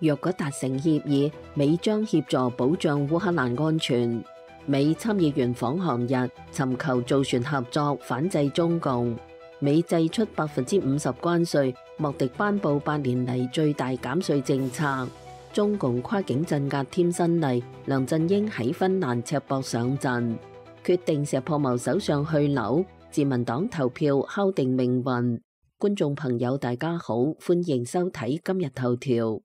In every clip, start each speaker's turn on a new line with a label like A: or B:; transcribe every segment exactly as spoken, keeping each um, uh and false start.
A: 若果達成協議，美將協助保障烏克蘭安全。美參議員訪韓日尋求造船合作，反制中共。美祭出百分之五十關稅，莫迪頒布八年嚟最大減稅政策。中共跨境鎮壓添新例，梁振英喺芬蘭赤膊上陣，決定石破謀首相去留，自民黨投票敲定命運。觀眾朋友大家好，歡迎收睇今日頭條。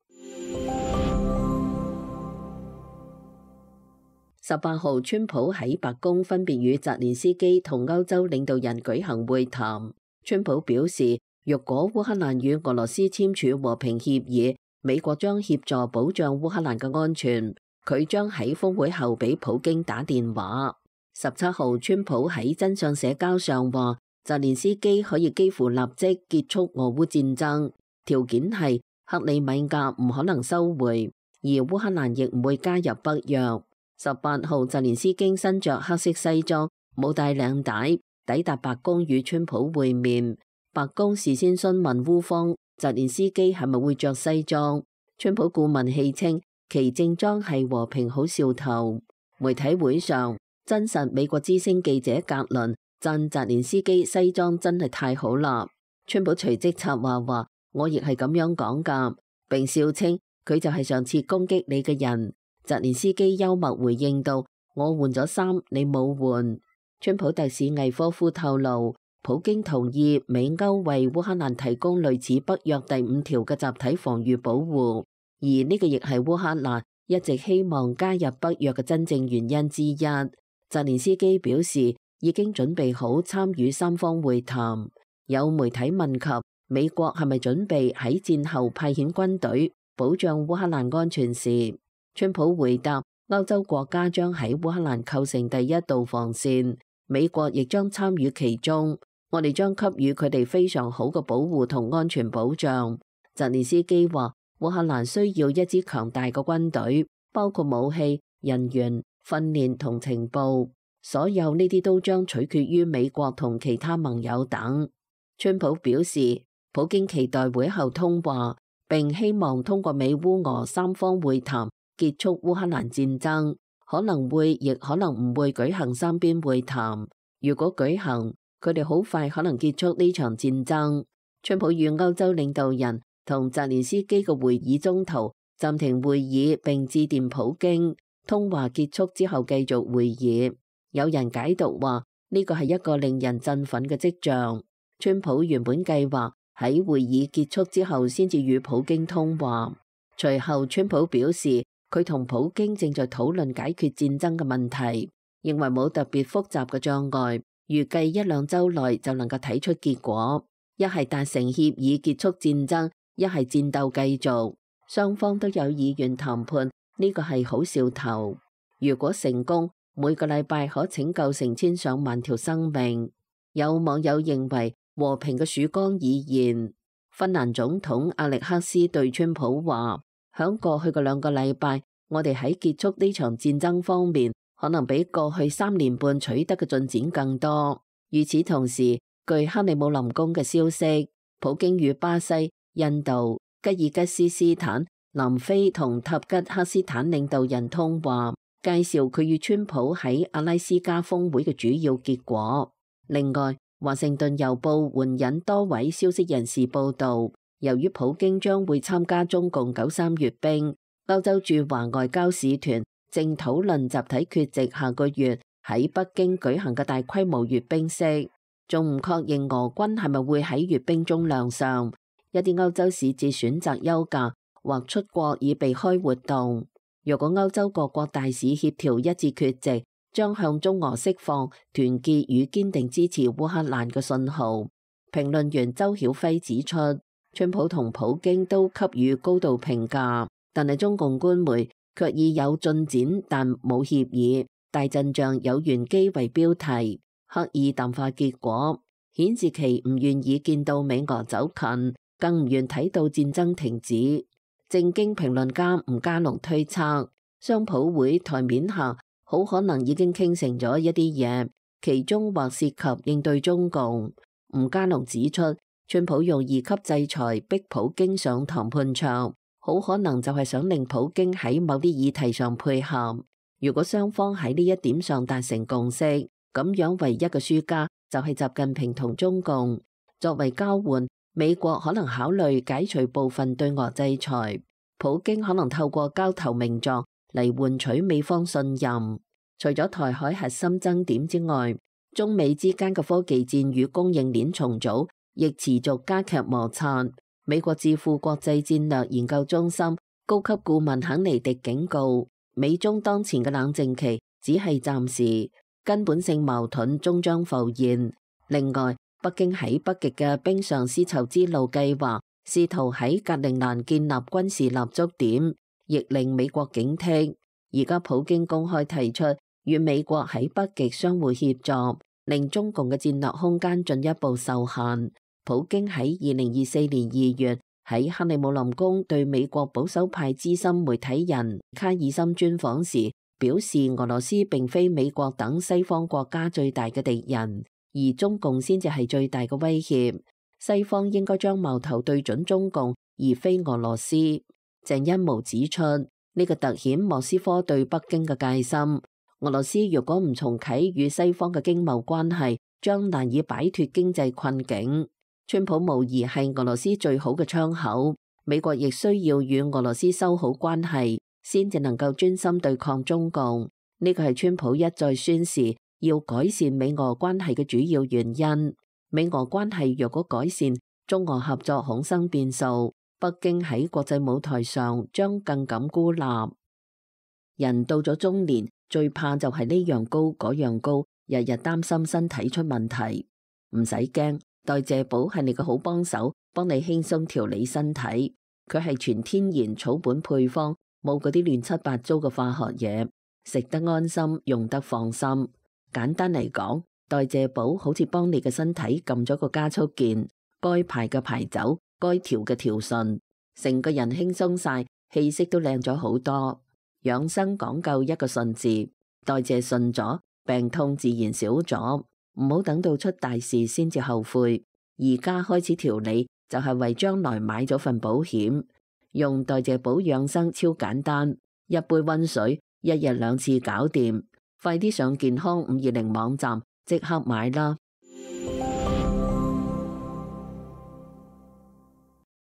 A: 十八號，川普喺白宮分別與澤連斯基同歐洲領導人舉行會談。川普表示，若果烏克蘭與俄羅斯簽署和平協議，美國將協助保障烏克蘭嘅安全。佢將喺峰會後俾普京打電話。十七號，川普喺真相社交上話，澤連斯基可以幾乎立即結束俄烏戰爭，條件係克里米亞唔可能收回，而烏克蘭亦唔會加入北約。十八號，澤連斯基身着黑色西裝，冇帶領帶，抵達白宮與川普會面。白宮事先詢問烏方澤連斯基係咪會着西裝，川普顧問戲稱其正裝係和平好兆頭。媒體會上，真實美國之聲記者格倫讚澤連斯基西裝真係太好啦。川普隨即插話話，我亦係咁樣講噶，並笑稱佢就係上次攻擊你嘅人。澤連斯基幽默回應道，我換咗衫，你冇換。川普特使魏科夫透露，普京同意美歐為烏克蘭提供類似北約第五條嘅集體防禦保護，而呢個亦係烏克蘭一直希望加入北約嘅真正原因之一。澤連斯基表示已經準備好參與三方會談。有媒體問及美國係咪準備喺戰後派遣軍隊保障烏克蘭安全時，川普回答，歐洲國家將喺烏克蘭構成第一道防線，美國亦將參與其中，我哋將給予佢哋非常好嘅保護同安全保障。澤連斯基話，烏克蘭需要一支強大嘅軍隊，包括武器、人員、訓練同情報，所有呢啲都將取決於美國同其他盟友等。川普表示，普京期待會後通話，並希望通過美烏俄三方會談結束烏克蘭戰爭，可能會亦可能唔會舉行三邊會談。如果舉行，佢哋好快可能結束呢場戰爭。川普與歐洲領導人同澤連斯基嘅會議中途暫停會議，並致電普京。通話結束之後繼續會議。有人解讀話呢個係一個令人振奮嘅跡象。川普原本計劃喺會議結束之後先至與普京通話。隨後川普表示，佢同普京正在討論解決戰爭嘅問題，認為冇特別複雜嘅障礙，預計一兩週內就能夠睇出結果。一係達成協議結束戰爭，一係戰鬥繼續。雙方都有意願談判，呢個係好兆頭。如果成功，每個禮拜可拯救成千上萬條生命。有網友認為和平嘅曙光已現。芬蘭總統阿力克斯對川普話，響過去嘅兩個禮拜，我哋喺結束呢場戰爭方面，可能比過去三年半取得嘅進展更多。與此同時，據克里姆林宮嘅消息，普京與巴西、印度、吉爾吉斯斯坦、南非同塔吉克斯坦領導人通話，介紹佢與川普喺阿拉斯加峰會嘅主要結果。另外，華盛頓郵報援引多位消息人士報道，由於普京將會參加中共九三閱兵，歐洲駐華外交使團正討論集體缺席下個月喺北京舉行嘅大規模閱兵式，仲唔確認俄軍係咪會喺閱兵中亮相。一啲歐洲使節選擇休假或出國以避開活動。若果歐洲各國大使協調一致缺席，將向中俄釋放團結與堅定支持烏克蘭嘅信號。評論員周曉輝指出，川普同普京都給予高度評價，但係中共官媒卻以有進展但冇協議、大陣仗有玄機為標題，刻意淡化結果，顯示其唔願意見到美俄走近，更唔願睇到戰爭停止。正經評論家吳家龍推測，雙普會台面下好可能已經傾成咗一啲嘢，其中或涉及應對中共。吳家龍指出，川普用二級制裁逼普京上談判桌，好可能就係想令普京喺某啲議題上配合。如果雙方喺呢一點上達成共識，咁樣唯一嘅輸家就係習近平同中共。作為交換，美國可能考慮解除部分對俄制裁，普京可能透過交投名狀嚟換取美方信任。除咗台海核心爭點之外，中美之間嘅科技戰與供應鏈重組亦持續加劇摩擦。美國智庫國際戰略研究中心高級顧問肯尼迪警告，美中當前嘅冷靜期只係暫時，根本性矛盾終將浮現。另外，北京喺北極嘅冰上絲綢之路計劃，試圖喺格陵蘭建立軍事立足點，亦令美國警惕。而家普京公開提出與美國喺北極相互協作，令中共嘅戰略空間進一步受限。普京喺二零二四年二月喺克里姆林宮對美國保守派資深媒體人卡爾森專訪時表示，俄羅斯並非美國等西方國家最大嘅敵人，而中共先至係最大嘅威脅。西方應該將矛頭對準中共，而非俄羅斯。鄭欣模指出，呢、這個凸顯莫斯科對北京嘅戒心。俄羅斯如果唔重啟與西方嘅經貿關係，將難以擺脫經濟困境。川普無疑係俄羅斯最好嘅窗口，美國亦需要與俄羅斯修好關係，先至能夠專心對抗中共。呢個係川普一再宣示要改善美俄關係嘅主要原因。美俄關係若果改善，中俄合作恐生變數，北京喺國際舞台上將更感孤立。人到咗中年，最怕就係呢樣高嗰樣高，日日擔心身體出問題。唔使驚。代謝寶係你個好幫手，幫你輕鬆調理身體。佢係全天然草本配方，冇嗰啲亂七八糟嘅化學嘢，食得安心，用得放心。簡單嚟講，代謝寶好似幫你嘅身體撳咗個加速鍵，該排嘅排走，該調嘅調順，成個人輕鬆晒，氣色都靚咗好多。養生講究一個順字，代謝順咗，病痛自然少咗。唔好等到出大事先至後悔，而家開始調理就係為將來買咗份保險。用代謝寶養生超簡單，一杯溫水，一日兩次搞掂。快啲上健康五二零網站即刻買啦！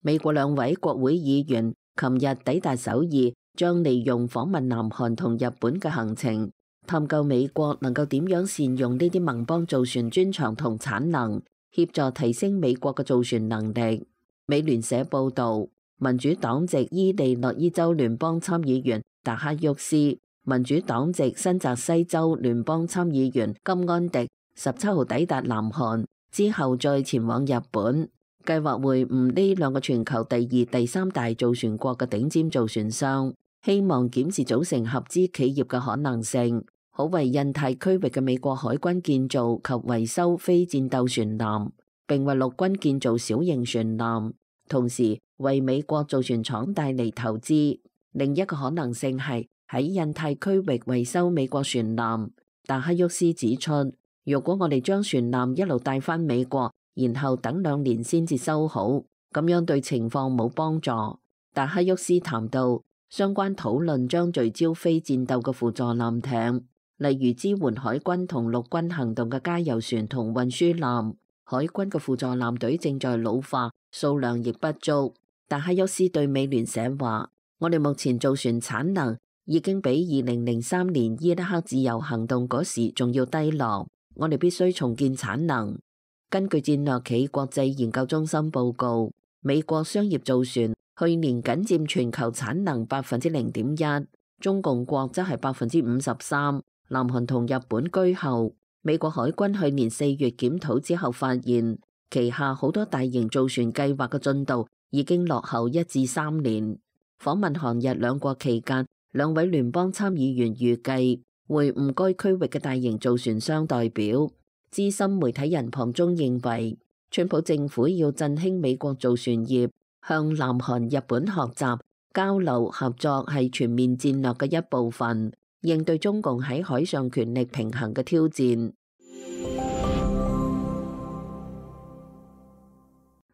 A: 美國兩位國會議員琴日抵達首爾，將利用訪問南韓同日本嘅行程，探究美國能夠點樣善用呢啲盟邦造船專長同產能，協助提升美國嘅造船能力。美聯社報導，民主黨籍伊利諾伊州聯邦參議員達克沃斯、民主黨籍新澤西州聯邦參議員金安迪十七號抵達南韓，之後再前往日本，計劃會晤呢兩個全球第二、第三大造船國嘅頂尖造船商，希望檢視組成合資企業嘅可能性，好為印太區域嘅美國海軍建造及維修非戰鬥船艦，並為陸軍建造小型船艦，同時為美國造船廠帶嚟投資。另一個可能性係喺印太區域維修美國船艦。達克沃斯指出，如果我哋將船艦一路帶返美國，然後等兩年先至修好，咁樣對情況冇幫助。達克沃斯談到，相關討論將聚焦非戰鬥嘅輔助艦艇，例如支援海軍同陸軍行動嘅加油船同運輸艦。海軍嘅輔助艦隊正在老化，數量亦不足。達克沃斯對美聯社話，我哋目前造船產能已經比二零零三年伊拉克自由行動嗰時仲要低落，我哋必須重建產能。根據戰略企國際研究中心報告，美國商業造船去年僅佔全球產能百分之零點一，中共國則係百分之五十三，南韓同日本居後。美國海軍去年四月檢討之後發現，旗下好多大型造船計劃嘅進度已經落後一至三年。訪問韓日兩國期間，兩位聯邦參議員預計會晤該區域嘅大型造船商代表。資深媒體人龐中認為，川普政府要振興美國造船業，向南韓、日本學習，交流合作係全面戰略嘅一部分，應對中共喺海上權力平衡嘅挑戰。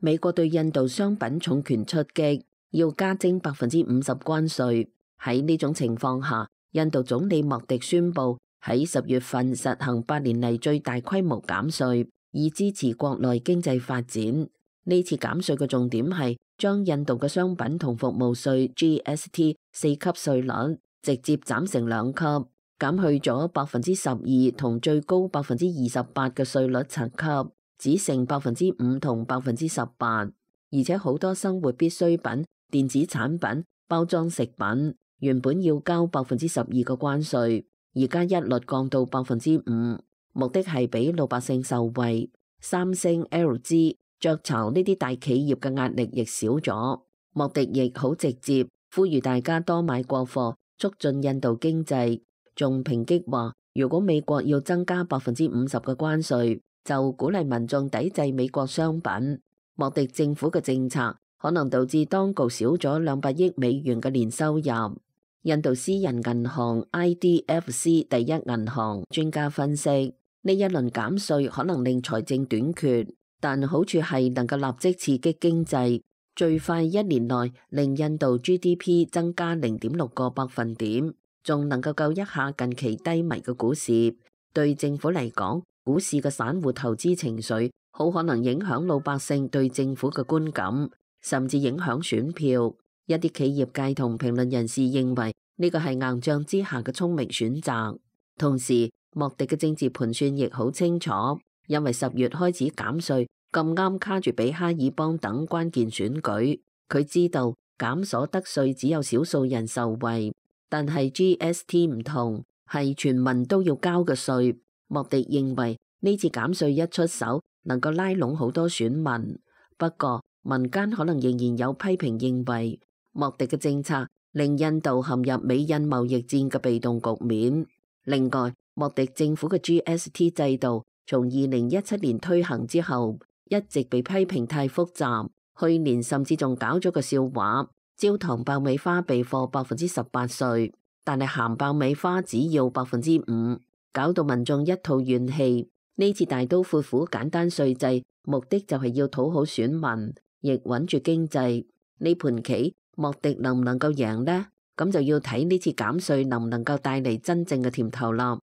A: 美國對印度商品重拳出擊，要加徵百分之五十關稅。喺呢種情況下，印度總理莫迪宣布喺十月份實行八年嚟最大規模減稅，以支持國內經濟發展。呢次減稅嘅重點係將印度嘅商品同服務稅 G S T 四級稅率直接斬成兩級，減去咗百分之十二同最高百分之二十八嘅稅率層級，只剩百分之五同百分之十八。而且好多生活必需品、電子產品、包裝食品原本要交百分之十二嘅關稅，而家一律降到百分之五，目的係俾老百姓受惠。三星、L G、雀巢呢啲大企業嘅壓力亦少咗。莫迪亦好直接呼籲大家多買國貨，促進印度經濟。仲抨擊話，如果美國要增加百分之五十嘅關稅，就鼓勵民眾抵制美國商品。莫迪政府嘅政策可能導致當局少咗兩百億美元嘅年收入。印度私人銀行 I D F C 第一銀行專家分析，呢一輪減稅可能令財政短缺，但好處係能夠立即刺激經濟，最快一年內令印度 G D P 增加零點六個百分點，仲能夠救一下近期低迷嘅股市。對政府嚟講，股市嘅散戶投資情緒好可能影響老百姓對政府嘅觀感，甚至影響選票。一啲企業界同評論人士認為呢個係硬仗之下嘅聰明選擇。同時，莫迪嘅政治盤算亦好清楚，因為十月開始減稅，咁啱卡住比哈爾邦等關鍵選舉。佢知道減所得稅只有少數人受惠，但係 G S T 唔同，係全民都要交嘅稅。莫迪認為呢次減稅一出手，能夠拉攏好多選民。不過民間可能仍然有批評認為，莫迪嘅政策令印度陷入美印貿易戰嘅被動局面。另外，莫迪政府嘅 G S T 制度從二零一七年推行之後，一直被批評太複雜。去年甚至仲搞咗個笑話，焦糖爆米花備貨百分之十八稅，但係鹹爆米花只要百分之五，搞到民眾一肚怨氣。呢次大刀闊斧簡單稅制，目的就係要討好選民，亦穩住經濟。呢盤棋莫迪能唔能夠贏呢？咁就要睇呢次減稅能唔能夠帶嚟真正嘅甜頭啦。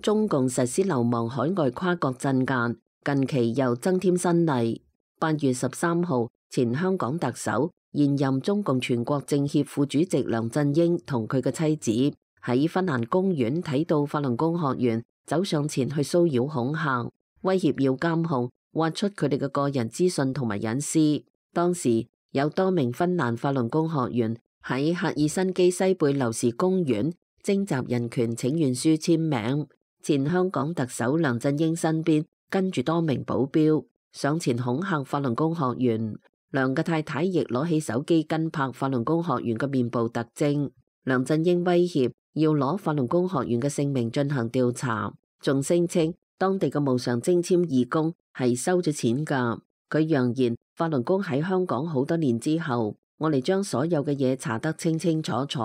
A: 中共實施流亡海外跨國鎮壓，近期又增添新例。八月十三號，前香港特首、現任中共全國政協副主席梁振英同佢嘅妻子喺芬蘭公園睇到法輪功學員走上前去騷擾恐嚇，威脅要監控，挖出佢哋嘅個人資訊同埋隱私。當時有多名芬蘭法輪功學員喺赫爾辛基西貝流士公園徵集人權請願書簽名。前香港特首梁振英身邊跟住多名保鏢上前恐嚇法輪功學員。梁嘅太太亦攞起手機跟拍法輪功學員嘅面部特徵。梁振英威脅要攞法輪功學員嘅姓名進行調查，仲聲稱當地嘅無償徵簽義工係收咗錢㗎。佢揚言法輪功喺香港好多年之後，我哋將所有嘅嘢查得清清楚楚。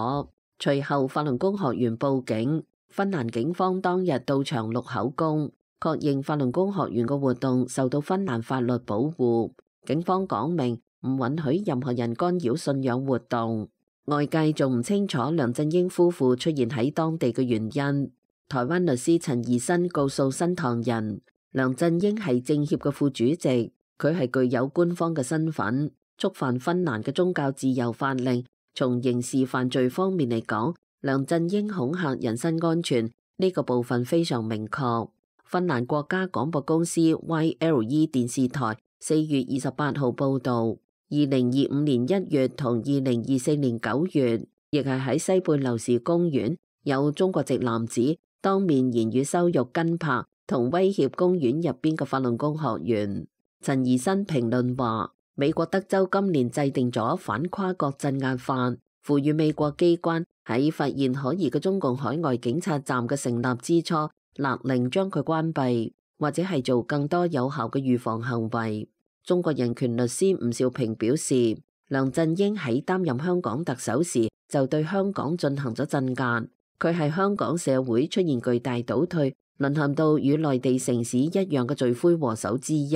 A: 隨後法輪功學員報警，芬蘭警方當日到場錄口供，確認法輪功學員嘅活動受到芬蘭法律保護。警方講明唔允許任何人干擾信仰活動。外界仲唔清楚梁振英夫婦出現喺當地嘅原因。台灣律師陳怡新告訴新唐人，梁振英係政協嘅副主席，佢係具有官方嘅身份，觸犯芬蘭嘅宗教自由法令。從刑事犯罪方面嚟講，梁振英恐嚇人身安全呢個部分非常明確。芬蘭國家廣播公司 Y L E 電視台四月二十八號報道，二零二五年一月同二零二四年九月，亦係喺西貝流士公園，有中國籍男子當面言語羞辱、跟拍同威脅公園入邊嘅法輪功學員。陳怡新評論話，美國德州今年制定咗反跨國鎮壓法，賦予美國機關喺發現可疑嘅中共海外警察站嘅成立之初，勒令將佢關閉，或者係做更多有效嘅預防行為。中國人權律師吳兆平表示，梁振英喺擔任香港特首時就對香港進行咗鎮壓，佢係香港社會出現巨大倒退，淪陷到與內地城市一樣嘅罪魁禍首之一。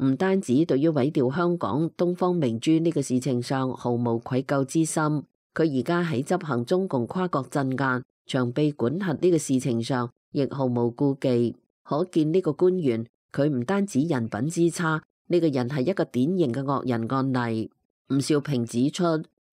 A: 唔單止對於毀掉香港東方明珠呢個事情上毫無愧疚之心，佢而家喺執行中共跨國鎮壓、長臂管轄呢個事情上，亦毫無顧忌。可見呢個官員，佢唔單止人品之差，呢個人係一個典型嘅惡人案例。吳兆平指出，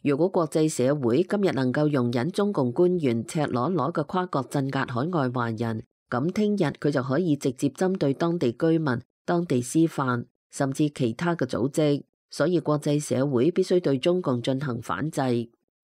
A: 如果國際社會今日能夠容忍中共官員赤裸裸嘅跨國鎮壓海外華人，咁聽日佢就可以直接針對當地居民、當地師範，甚至其他嘅組織。所以國際社會必須對中共進行反制。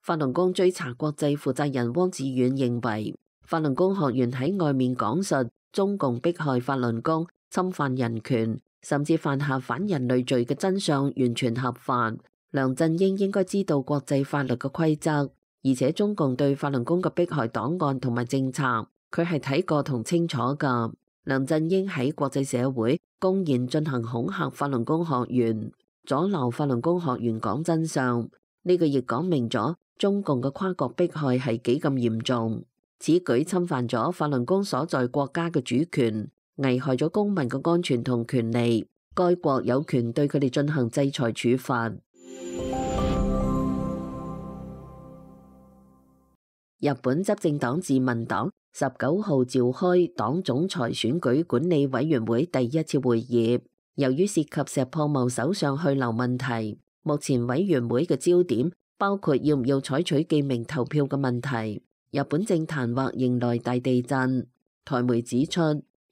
A: 法輪功追查國際負責人汪志遠認為，法輪功學員喺外面講述中共迫害法輪功、侵犯人權，甚至犯下反人類罪嘅真相完全合法。梁振英應該知道國際法律嘅規則，而且中共對法輪功嘅迫害檔案同埋政策，佢係睇過同清楚㗎。梁振英喺國際社會公然進行恐嚇法輪功學員，阻撓法輪功學員講真相，呢個亦講明咗中共嘅跨國迫害係幾咁嚴重。此舉侵犯咗法輪功所在國家嘅主權，危害咗公民嘅安全同權利，該國有權對佢哋進行制裁處罰。日本執政黨自民黨十九號召開黨總裁選舉管理委員會第一次會議，由於涉及石破茂首相去留問題，目前委員會嘅焦點包括要唔要採取記名投票嘅問題。日本政壇或迎來大地震。台媒指出，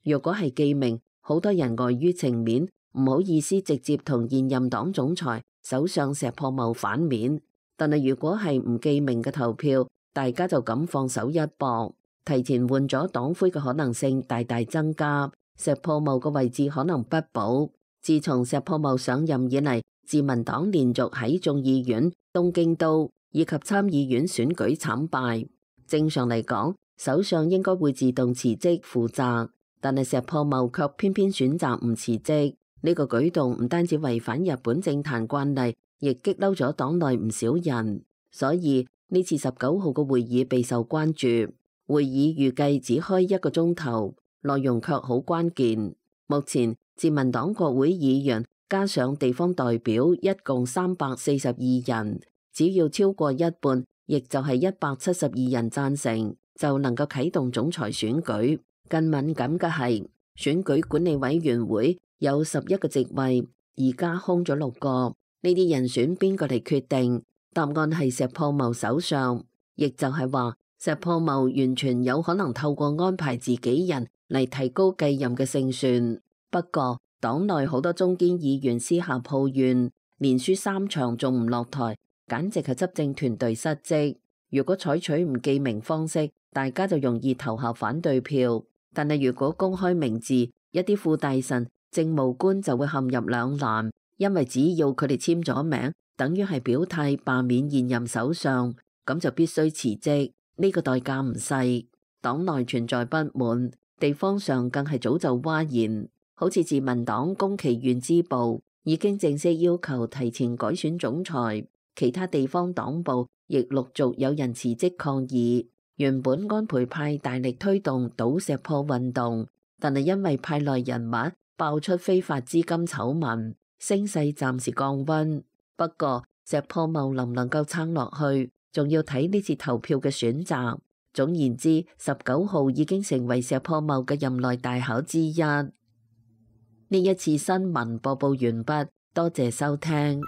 A: 若果係記名，好多人礙於情面，唔好意思直接同現任黨總裁首相石破茂反面。但係如果係唔記名嘅投票，大家就敢放手一搏，提前換咗黨魁嘅可能性大大增加，石破茂嘅位置可能不保。自從石破茂上任以嚟，自民黨連續喺眾議院、東京都以及參議院選舉慘敗。正常嚟講，首相應該會自動辭職負責，但係石破茂卻偏偏選擇唔辭職。呢個舉動唔單止違反日本政壇慣例，亦激嬲咗黨內唔少人。所以呢次十九號嘅會議備受關注。會議預計只開一個鐘頭，內容卻好關鍵。目前自民黨國會議員加上地方代表一共三百四十二人，只要超過一半，亦就係一百七十二人贊成，就能夠啟動總裁選舉。更敏感嘅係，選舉管理委員會有十一個席位，而家空咗六個，呢啲人選邊個嚟決定？答案係石破茂首相，亦就係話石破茂完全有可能透過安排自己人嚟提高繼任嘅勝算。不過黨內好多中堅議員私下抱怨，連輸三場仲唔落台，簡直係執政團隊失職。如果採取唔記名方式，大家就容易投下反對票。但係如果公開名字，一啲副大臣、政務官就會陷入兩難，因為只要佢哋簽咗名，等於係表態罷免現任首相，咁就必須辭職，呢個代價唔細。黨內存在不滿，地方上更係早就嘩然。好似自民黨宮崎縣支部已經正式要求提前改選總裁，其他地方黨部亦陸續有人辭職抗議。原本安倍派大力推動倒石破運動，但係因為派內人物爆出非法資金醜聞，聲勢暫時降溫。不過石破茂能唔能夠撐落去，仲要睇呢次投票嘅選擇。總言之，十九號已經成為石破茂嘅任內大考之一。呢一次新聞播報完畢，多謝收聽。